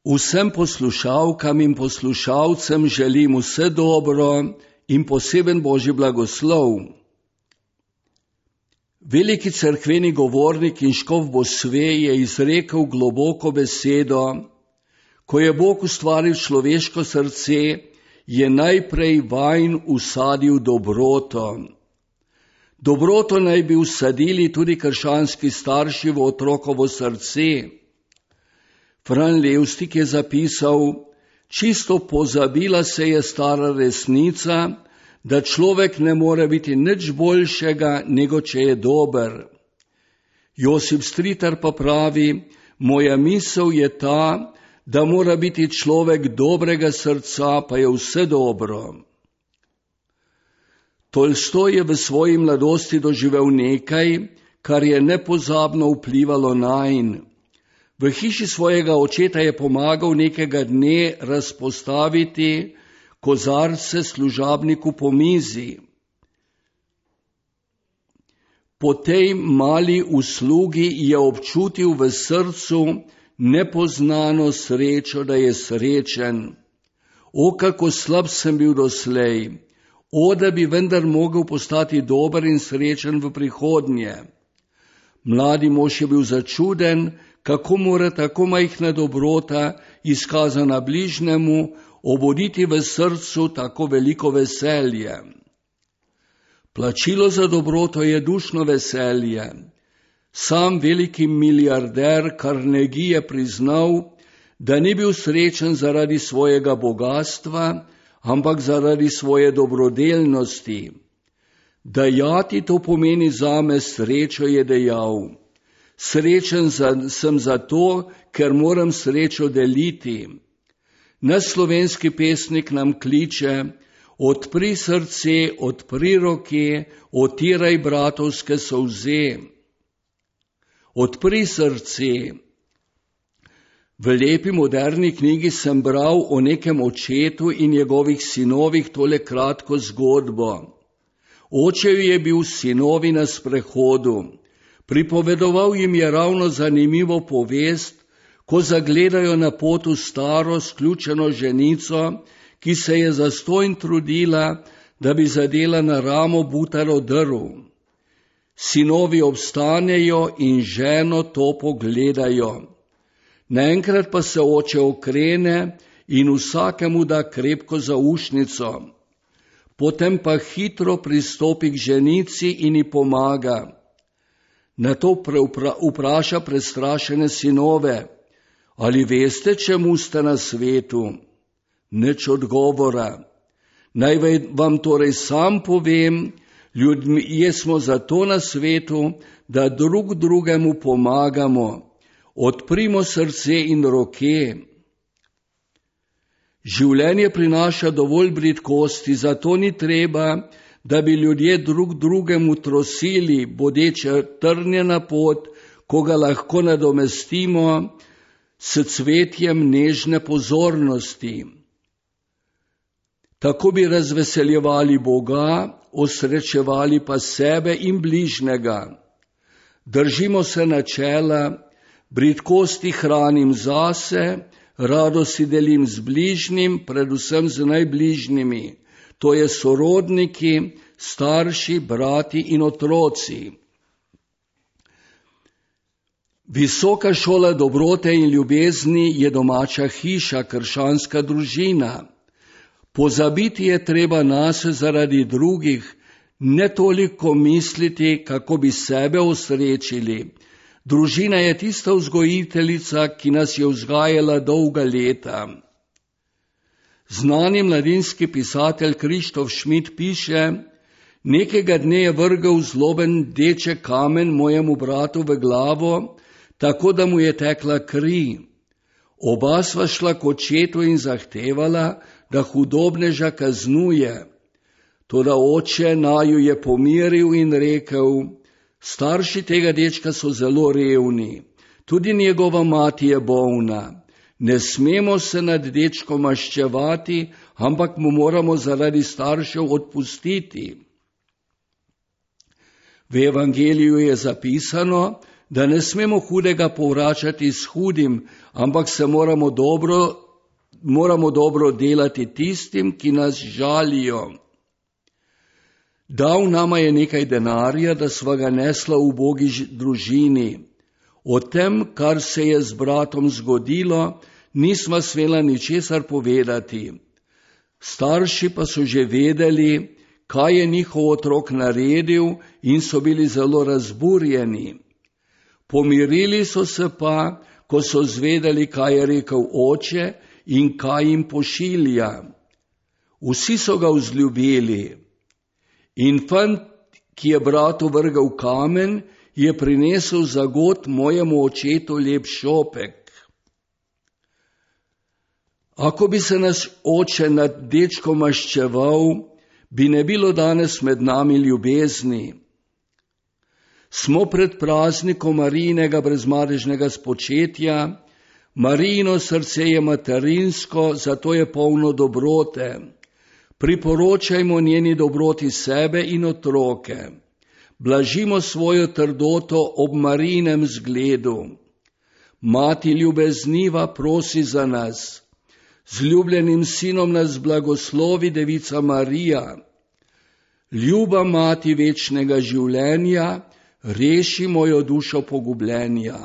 Vsem poslušalkam in poslušalcem želim vse dobro in poseben Božji blagoslov. Veliki cerkveni govornik in škof Bosve je izrekel globoko besedo: ko je Bog ustvaril človeško srce, je najprej vanj usadil dobroto. Dobroto naj bi usadili tudi krščanski starši v otrokovo srce. Fran Levstik je zapisal: čisto pozabila se je stara resnica, da človek ne more biti nič boljšega, nego če je dober. Josip Stritar pa pravi: moja misel je ta, da mora biti človek dobrega srca, pa je vse dobro. Tolstoj je v svoji mladosti doživel nekaj, kar je nepozabno vplivalo nanj. V hiši svojega očeta je pomagal nekega dne razpostaviti kozarce služabniku po mizi. Po tej mali uslugi je občutil v srcu nepoznano srečo, da je srečen. O, kako slab sem bil doslej! O, da bi vendar mogel postati dober in srečen v prihodnje! Mladi mož je bil začuden, kako mora tako majhna dobrota, izkazana bližnjemu, obuditi v srcu tako veliko veselje. Plačilo za dobroto je dušno veselje. Sam veliki milijarder Carnegie je priznal, da ni bil srečen zaradi svojega bogatstva, ampak zaradi svoje dobrodelnosti. Dajati to pomeni zame srečo, je dejal. Srečen sem zato, ker moram srečo deliti. Naš slovenski pesnik nam kliče: odpri srce, odpri roke, otiraj bratovske solze. Odpri srce. V lepi moderni knjigi sem bral o nekem očetu in njegovih sinovih tole kratko zgodbo. Oče je bil s sinovi na sprehodu. Pripovedoval jim je ravno zanimivo povest, ko zagledajo na potu staro, sključeno ženico, ki se je zastonj trudila, da bi zadela na ramo butaro drv. Sinovi obstanejo in ženo to pogledajo. Naenkrat pa se oče okrene in vsakemu da krepko zaušnico. Potem pa hitro pristopi k ženici in ji pomaga. Nato vpraša prestrašene sinove: ali veste, čemu ste na svetu? Nič odgovora. Naj vam torej sam povem, ljudje smo zato na svetu, da drug drugemu pomagamo. Odprimo srce in roke. Življenje prinaša dovolj bridkosti, zato ni treba, da bi ljudje drug drugemu trosili, bodeče trnjena pot, ko ga lahko nadomestimo s cvetjem nežne pozornosti. Tako bi razveseljevali Boga, osrečevali pa sebe in bližnjega. Držimo se načela: bridkosti hranim zase, radosti delim z bližnjim, predvsem z najbližnjimi, to je sorodniki, starši, brati in otroci. Visoka šola dobrote in ljubezni je domača hiša, krščanska družina. Pozabiti je treba nase zaradi drugih, ne toliko misliti, kako bi sebe osrečili. Družina je tista vzgojiteljica, ki nas je vzgajala dolga leta. Znani mladinski pisatelj Krištof Šmit piše: nekega dne je vrgel zloben deček kamen mojemu bratu v glavo, tako da mu je tekla kri. Oba sva šla k očetu in zahtevala, da hudobneža kaznuje. Toda oče naju je pomiril in rekel: starši tega dečka so zelo revni, tudi njegova mati je bolna. Ne smemo se nad dečkom maščevati, ampak mu moramo zaradi staršev odpustiti. V evangeliju je zapisano, da ne smemo hudega povračati s hudim, ampak se moramo dobro delati tistim, ki nas žalijo. Dal nama je nekaj denarja, da sva ga nesla v ubogi družini. O tem, kar se je z bratom zgodilo, nisva smela ničesar povedati. Starši pa so že vedeli, kaj je njihov otrok naredil in so bili zelo razburjeni. Pomirili so se pa, ko so zvedeli, kaj je rekel oče in kaj jim pošilja. Vsi so ga vzljubili. In fant, ki je bratu vrgal kamen, je prinesel za god mojemu očetu lep šopek. Ako bi se naš oče nad dečkom maščeval, bi ne bilo danes med nami ljubezni. Smo pred praznikom Marijinega brezmadežnega spočetja, Marijino srce je materinsko, zato je polno dobrote. Priporočajmo njeni dobroti sebe in otroke. Blažimo svojo trdoto ob Marijinem zgledu. Mati ljubezniva prosi za nas. Z ljubljenim sinom nas blagoslovi Devica Marija. Ljuba mati večnega življenja, reši mojo dušo pogubljenja.